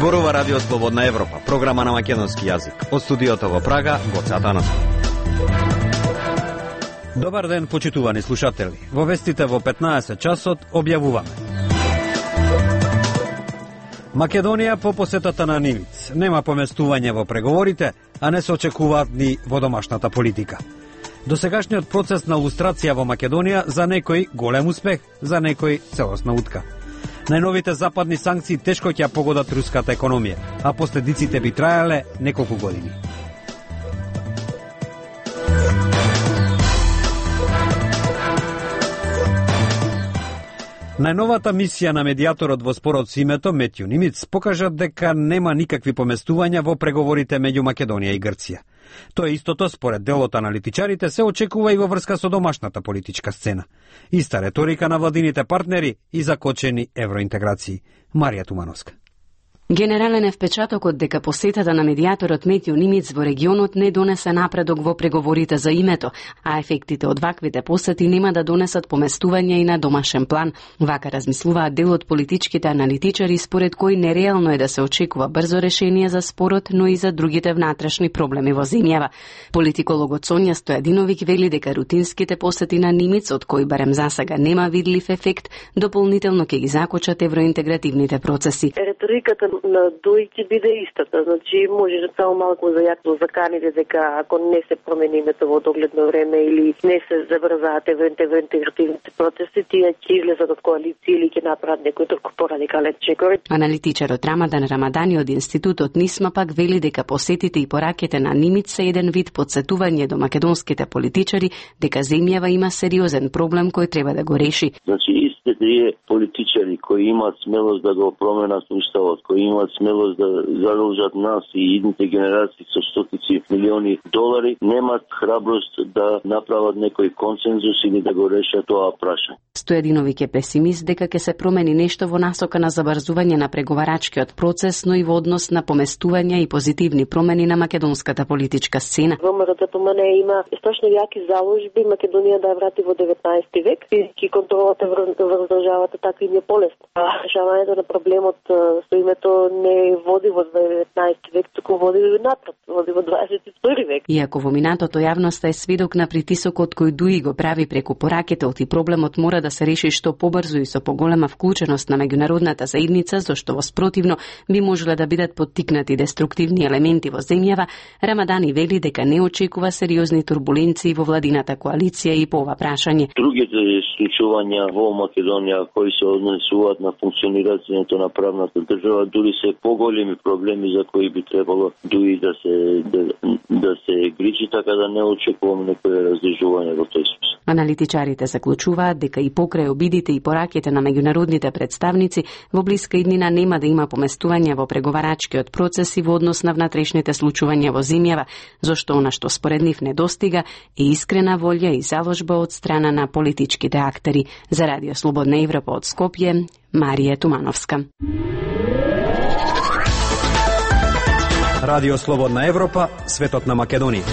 Зборува Радио Слободна Европа, програма на македонски јазик. Од студиото во Прага, Гоце Атанасов. Добар ден, почитувани слушатели. Во вестите во 15 часот објавуваме. Македонија по посетата на Нимиц. Нема поместување во преговорите, а не се очекуваат ни во домашната политика. Досегашниот процес на лустрација во Македонија за некој голем успех, за некој целосна утка. Најновите западни санкции тешко ќе погодат руската економија, а последиците би траеле неколку години. Најновата мисија на медијаторот во спорот со името Метју Нимиц покажа дека нема никакви поместувања во преговорите меѓу Македонија и Грција. Тоа истото, според дел од аналитичарите, се очекува и во врска со домашната политичка сцена. Иста реторика на владините партнери и закочени евроинтеграции. Марија Тумановска. Генерален е впечатокот дека посетата на медијаторот Метју Нимиц во регионот не донесе напредок во преговорите за името, а ефектите од ваквите посети нема да донесат поместување и на домашен план. Вака размислуваат дел од политичките аналитичари, според кои нереално е да се очекува брзо решение за спорот, но и за другите внатрешни проблеми во земјава. Политикологот Сонја Стојадиновиќ вели дека рутинските посети на Нимиц, од кои барем засега нема видлив ефект, дополнително ќе ги закочат евроинтегративните процеси. Реториката на Дој ќе биде истата, значи може само малку зајакно заканите дека ако не се промени името во догледно време или не се забрзаат евроинтегративните процеси, тие ќе излезат од коалиција или ќе направат некој друг порадикален чекор. Аналитичарот Рамадан Рамадани од институтот НИСМА пак вели дека посетите и пораките на Нимиц се еден вид потсетување до македонските политичари дека земјава има сериозен проблем кој треба да го реши. Значи истите тие политичари кои имаат смелост да го променат уставот, кои имаат смелост да задолжат нас и идните генерации со стотици милиони долари, немаат храброст да направат некој консензус или да го решат тоа прашање. Стојадиновиќ е песимист дека ќе се промени нешто во насока на забрзување на преговарачкиот процес, но и во однос на поместување и позитивни промени на македонската политичка сцена. ВМРО има страшно јаки заложби Македонија да ја врати во 19 век и контролата врз државата така им е полесно. Решавањето на проблемот со името не води во 19 век, туку води напред, води во 21 век. Иако во минатото јавноста е сведок на притисокот кој Дуи го прави преку поракетот и проблемот мора да се реши што побрзо и со поголема вклученост на меѓународната заедница, зашто во спротивно би можеле да бидат поттикнати деструктивни елементи во земјава, Рамадани вели дека не очекува сериозни турбуленции во владината коалиција и по ова прашање. Другите случувања во Македонија кои се однесуваат на функционирањето на правната држава, дури се поголеми проблеми за кои би требало Дуи да се грижи, така да не очекувам некој раздвижување во тој смисла. Аналитичарите заклучуваат дека и покрај обидите и пораките на меѓународните представници, во блиска иднина нема да има поместување во преговарачкиот процес и во однос на внатрешните случувања во земјава, зашто она што според нив недостига е искрена волја и заложба од страна на политичките актери. За Радио Слободна Европа од Скопје, Марија Тумановска. Радио Слободна Европа, светот на Македонија.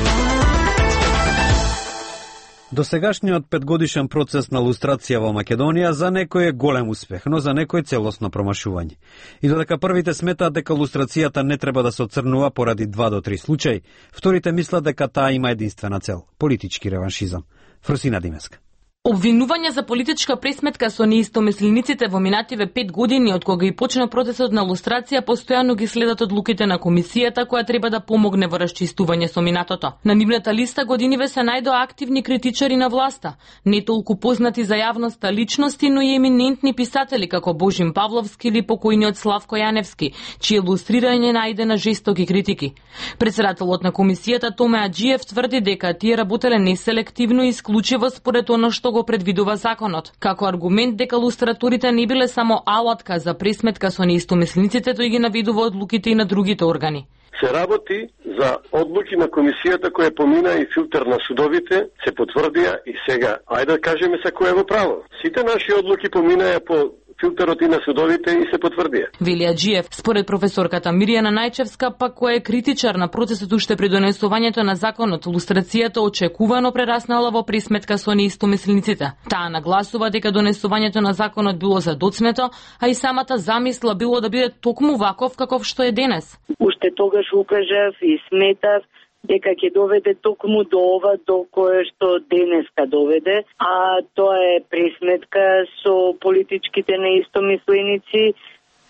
Досегашниот 5-годишен процес на лустрација во Македонија за некој е голем успех, но за некој целосно промашување. И додека првите сметаат дека лустрацијата не треба да се оцрнува поради 2 до 3 случаи, вторите мислат дека таа има единствена цел – политички реваншизам. Фрусина Димеска. Обвинување за политичка пресметка со неистомислениците во минативе 5 години од кога и почна процесот на лустрација постојано ги следат одлуките на комисијата која треба да помогне во расчистување со минатото. На нивната листа годиниве се најдоа активни критичари на власта, не толку познати за јавноста личности, но и еминентни писатели како Божим Павловски или покојниот Славко Јаневски, чие лустрирање најде на жестоки критики. Председателот на комисијата Томе Аџиев тврди дека тие работеле неселективно и исклучиво според она што го предвидува законот. Како аргумент дека лустраторите не биле само алатка за пресметка со неистомислениците, тој ги наведува одлуките и на другите органи. Се работи за одлуки на комисијата која помина и филтер на судовите, се потврдија и сега, ајде да кажеме се кој е во право. Сите наши одлуки поминаа по филтерот и на судовите и се потврдија. Вели Аџиев, според професорката Мирјана Најчевска, пак која е критичар на процесот уште при донесувањето на законот, лустрацијата очекувано прераснала во пресметка со неистомислениците. Таа нагласува дека донесувањето на законот било задоцнето, а и самата замисла било да биде токму ваков каков што е денес. Уште тогаш укажав и сметав дека ќе доведе токму до ова до кое што денеска доведе, а тоа е пресметка со политичките неистомисленици,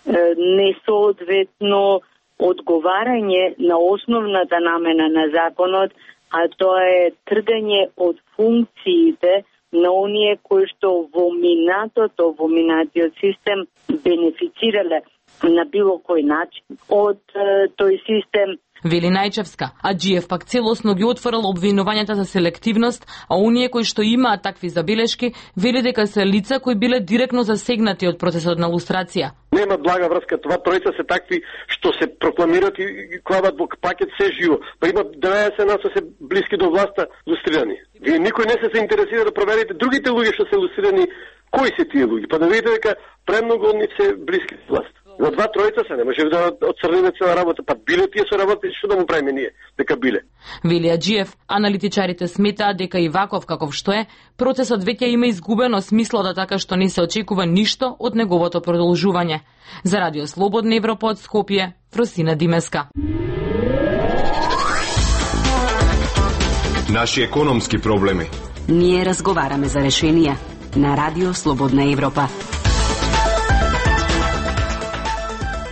несоодветно одговарање на основната намена на законот, а тоа е тргање од функциите на оние кои што во минатиот систем бенефицирале на било кој начин од тој систем. Вели Најчевска, Аџиев пак целосно ги отворил обвинувањата за селективност, а оние кои што имаат такви забелешки, вели дека се лица кои биле директно засегнати од процесот на лустрација. Нема блага врска, това тројца се такви што се прокламират и клават во пакет се живо. Па има 90 нас се блиски до власта лустрирани. Вие никој не се интересира да проверите другите луѓе што се лустрирани, кои се тие луѓе, па да видите дека премногу од нив се блиски до власт. За 2-3 се не може да отцрниме цела работа, па биле тие со работа, што да му правиме ние, дека биле. Вели Аџиев, аналитичарите сметаат дека и ваков каков што е, процесот веќе има изгубено смисло, така што не се очекува ништо од неговото продолжување. За Радио Слободна Европа од Скопје, Фросина Димеска. Наши економски проблеми. Ние разговараме за решенија на Радио Слободна Европа.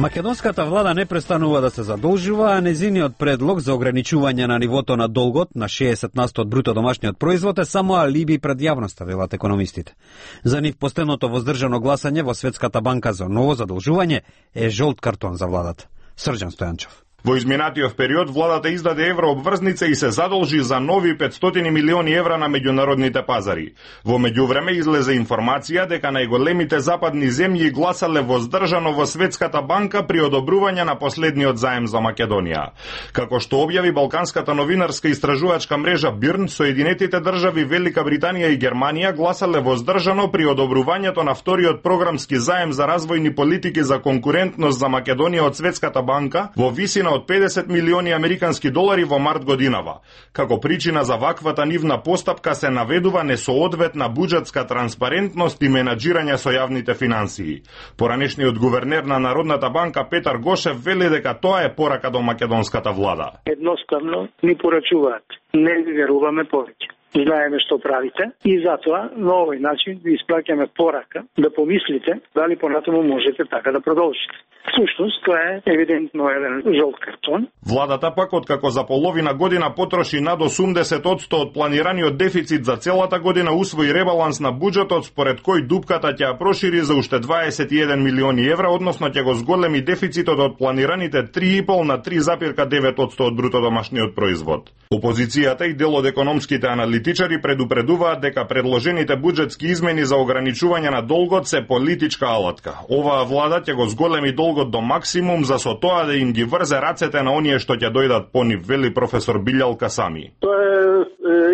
Македонската влада не престанува да се задолжува, а незиниот предлог за ограничување на нивото на долгот на 60% од бруто домашниот производ е само алиби пред јавноста, велат економистите. За нив последното воздржано гласање во Светската банка за ново задолжување е жолт картон за владата. Срđan Стојанчов. Во изминатиот период владата издаде еврообврзница и се задолжи за нови 500 милиони евра на меѓународните пазари. Во меѓувреме излезе информација дека најголемите западни земји гласале воздржано во Светската банка при одобрување на последниот заем за Македонија. Како што објави Балканската новинарска истражувачка мрежа Бирн, Соединетите држави Велика Британија и Германија гласале воздржано при одобрувањето на вториот програмски заем за развојни политики за конкурентност за Македонија од Светската банка во висина од 50 милиони американски долари во март годинава. Како причина за ваквата нивна постапка се наведува несоодветна буџетска транспарентност и менаџирање со јавните финансии. Поранешниот гувернер на Народната банка Петар Гошев вели дека тоа е порака до македонската влада. Едноставно ни порачуваат. Не ви веруваме повеќе. Знаеме што правите и затоа на овој начин ви испраќаме порака да помислите дали понатаму можете така да продолжите. Всушност, тоа е евидентно еден жолт картон. Владата пак откако за половина година потроши над 80% од планираниот дефицит за целата година, усвои ребаланс на буџетот според кој дупката ќе ја прошири за уште 21 милиони евра, односно ќе го зголеми дефицитот од планираните 3,5 на 3,9% од бруто домашниот производ. Опозицијата и дел од економските аналитичари предупредуваат дека предложените буџетски измени за ограничување на долгот се политичка алатка. Оваа влада ќе го зголеми долгот до максимум за со тоа да им ги врзе рацете на оние што ќе дојдат по нив, вели професор Билјал Касами. Тоа е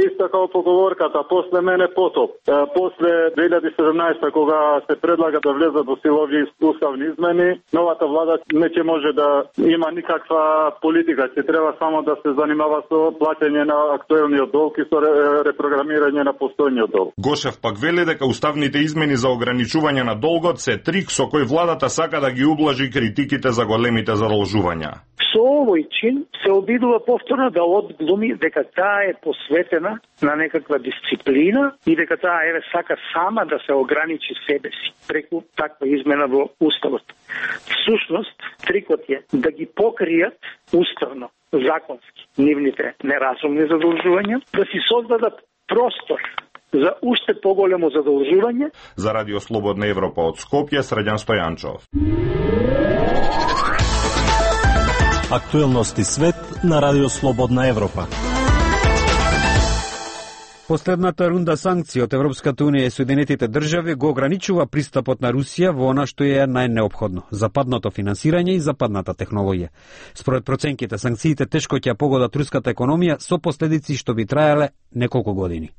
исто како поговорката, после мене потоп. После 2017 кога се предлага да влезат во сила овие уставни измени, новата влада не ќе може да има никаква политика, ќе треба само да се занимава со плаќање на актуелниот долг и со репрограмирање на постојниот долг. Гошев пак вели дека уставните измени за ограничување на долгот се трик со кој владата сака да ги ублажи критиките за големите задолжувања. Со овој чин се обидува повторно да одглуми дека таа е посветена на некаква дисциплина и дека таа сака сама да се ограничи себе си преку таква измена во уставот. Всушност, трикот е да ги покријат уставно, законски, нивните неразумни задолжувања, да си создадат простор за уште поголемо задолжување. За Радио Слободна Европа од Скопје, Срđan Стојанчов. Актуелности свет на Радио Слободна Европа. Последната рунда санкции од Европската унија и Соединетите држави го ограничува пристапот на Русија во она што е најнеопходно – западното финансирање и западната технологија. Според проценките, санкциите тешко ќе погодат руската економија со последици што би траеле неколку години.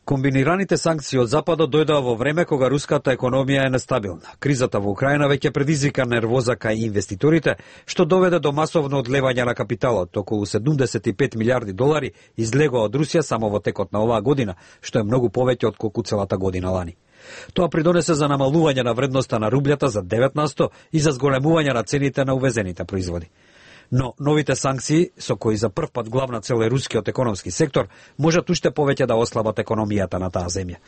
Комбинираните санкции од Западот дојдоа во време кога руската економија е нестабилна. Кризата во Украина веќе предизвика нервоза кај инвеститорите, што доведе до масовно одлевање на капиталот. Околу 75 милиарди долари излегоа од Русија само во текот на оваа година, што е многу повеќе од колку целата година лани. Тоа придонесе за намалување на вредноста на рублјата за 9% и за зголемување на цените на увезените производи. Но новите санкции, со кои за прв пат главна цел е рускиот економски сектор, можат уште повеќе да ослабат економијата на таа земја.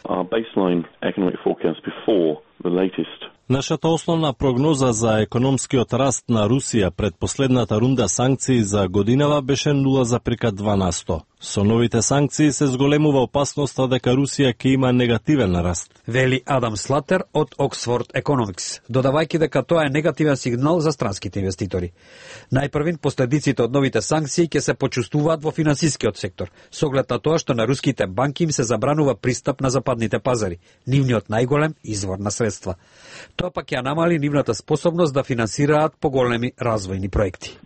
Нашата основна прогноза за економскиот раст на Русија пред последната рунда санкции за годинава беше 0,2%. Со новите санкции се зголемува опасноста дека Русија ќе има негативен раст. Вели Адам Слатер од Oxford Economics, додавајќи дека тоа е негативен сигнал за странските инвеститори. Најпрвин последиците од новите санкции ќе се почувствуваат во финансискиот сектор, со оглед на тоа што на руските банки им се забранува пристап на западните пазари, нивниот најголем извор на средства. Тоа пак ја намали нивната способност да финансираат поголеми развојни проекти.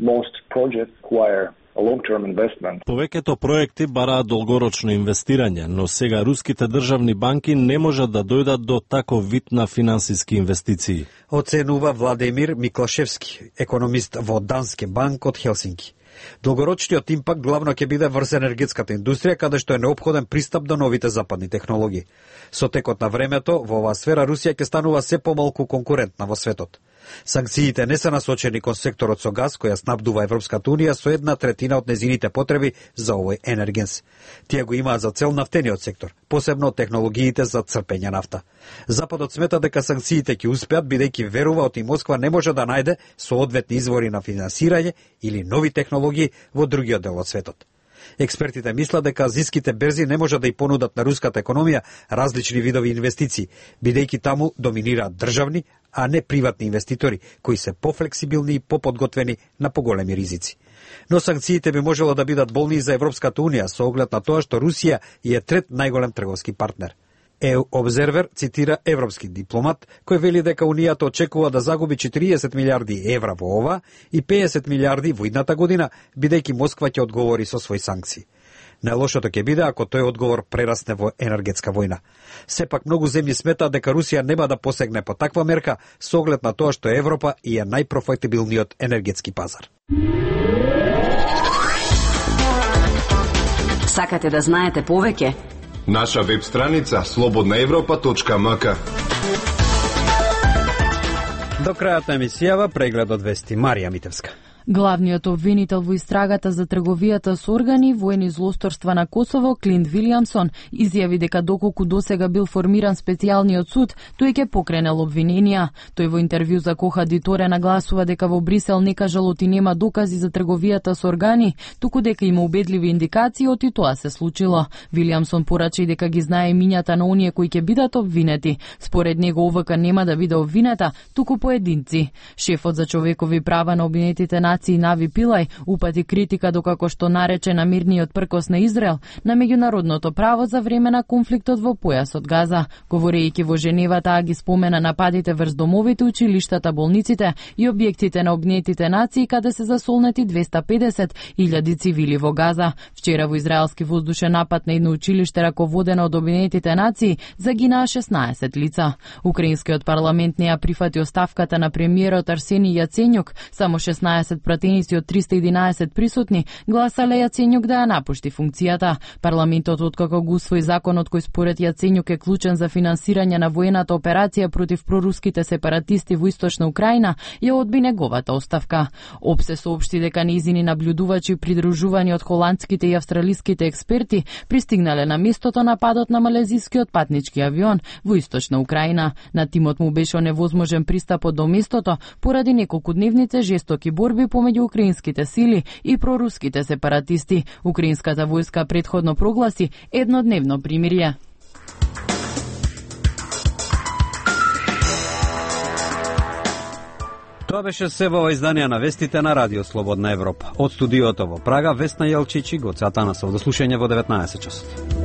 Повеќето проекти бараат долгорочно инвестирање, но сега руските државни банки не можат да дојдат до таков вид на финансиски инвестиции. Оценува Владимир Миклашевски, економист во Данске банк од Хелсинки. Долгорочниот импакт главно ќе биде врз енергетската индустрија, каде што е неопходен пристап до новите западни технологии. Со текот на времето, во оваа сфера Русија ќе станува се помалку конкурентна во светот. Санкциите не се насочени кон секторот со газ, која снабдува Европската унија со 1/3 од незините потреби за овој енергенс. Тие го имаат за цел нафтениот сектор, посебно технологиите за црпење нафта. Западот смета дека санкциите ќе успеат, бидејќи верува оти Москва не може да најде соодветни извори на финансирање или нови технологии во другиот дел од светот. Експертите мислат дека азиските берзи не можат да ја понудат на руската економија различни видови инвестиции, бидејќи таму доминираат државни, а не приватни инвеститори, кои се пофлексибилни и поподготвени на поголеми ризици. Но санкциите би можело да бидат болни и за Европската унија, со оглед на тоа што Русија е трет најголем трговски партнер. EU Observer цитира европски дипломат, кој вели дека Унијата очекува да загуби 40 милиарди евра во ова и 50 милиарди во идната година, бидејќи Москва ќе одговори со своји санкции. Најлошото ќе биде ако тој одговор прерасне во енергетска војна. Сепак многу земји сметаат дека Русија нема да посегне по таква мерка со оглед на тоа што Европа е најпрофитабилниот енергетски пазар. Сакате да знаете повеќе? Наша веб страница slobodnaevropa.mk. До крајот на емисијава преглед од вести Марија Митевска. Главниот обвинител во истрагата за трговијата со органи, воени злосторства на Косово, Клинт Вилијамсон, изјави дека доколку досега бил формиран специјалниот суд, тој ќе покренел обвиненија. Тој во интервју за Коха Диторе нагласува дека во Брисел не кажалоти нема докази за трговијата со органи, туку дека има убедливи индикации оти тоа се случило. Вилијамсон порача и дека ги знае имињата на оние кои ќе бидат обвинети. Според него ОВК нема да биде обвинета, туку поединци. Шефот за човекови права на Обединетите нации Нави Пилај упати критика докако што нарече на мирниот пркос на Израел на меѓународното право за време на конфликтот во појасот Газа. Говорејќи во Женева, таа ги спомена нападите врз домовите, училиштата, болниците и објектите на Обединетите нации каде се засолнети 250.000 цивили во Газа. Вчера во израелски воздушен напад на едно училиште раководено од Обединетите нации загинаа 16 лица. Украинскиот парламент не ја прифати оставката на премиерот Арсени Јаценјук, само 16 пратеници од 311 присутни гласале Јаценјук да ја напушти функцијата. Парламентот откако го усвои законот кој според Јаценјук е клучен за финансирање на воената операција против проруските сепаратисти во источна Украина, ја одби неговата оставка. ОПСЕ соопшти дека нејзини наблюдувачи придружувани од холандските и австралиските експерти пристигнале на местото на падот на малезискиот патнички авион во источна Украина. На тимот му беше невозможен пристапот до местото поради неколкудневните жестоки борби помеѓу украинските сили и проруските сепаратисти. Украинската војска претходно прогласи еднодневно примирје. Тоа беше се во изданија на вестите на Радио Слободна Европа. Од студиото во Прага, Весна Јелчич и Гоце Атанасов. До слушање во 19 часот.